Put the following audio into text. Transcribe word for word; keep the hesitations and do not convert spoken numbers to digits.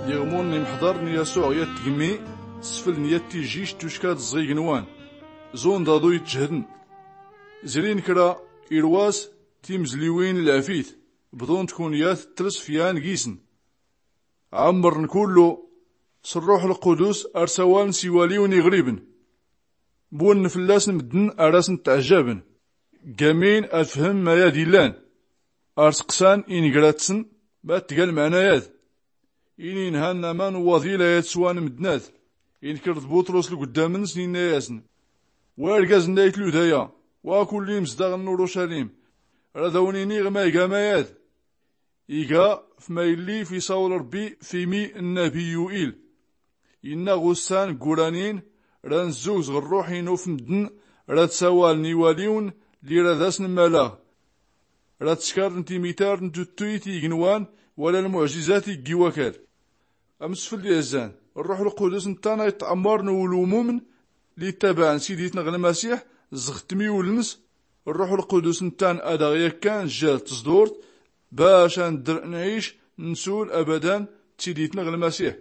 Iɣmun n imḥḍar n yasuɛ yat tgmmi sfln yat tijjijt tucka d ẓẓ ignwan, zun d aḍu ittjhdn. Zrin kra irwas timzliwin n lɛfit, bḍunt kunyat trsfyan gisn. Ɛmmrn kullu s rruḥ lqudus, ar sawaln s iwaliwn iɣribn. Bwnnn fllasn mddn ar asn ttɛjjabn, ggamin ad fhmn mayad illan. Ar sqsan ingratsn ma tga lmɛnayad. Ini inhan aman waḍil ayad swan mddnat. Inkr d buṭrus lgddamnsn inna-yasn, wa irgazn n ayt ludaya, wa kull imzdaɣn n urucalim, rad awn iniɣ ma iga mayad. Iga f ma illi f isawl rbbi f imi n nabi yuil. Inna ɣ ussan gguranin, ra nzzugz ɣ rruḥ inu f mddn, rad sawaln iwaliwn lli rad asn mmalaɣ. Rad skarn timitar n tuttuyt i ignwan, wala lmuɛjizat i ggi wakal. Amsfld izzan, rruḥ lqudus nttan a itɛmmrn ulumumn lli ttabaɛn siditn ɣ lmasiḥ, zɣ tmiwln s rruḥ lqudus nttan ad aɣ yakkan jjal tẓḍurt, bac a ndr nɛic nsul abadan d siditn ɣ lmasiḥ.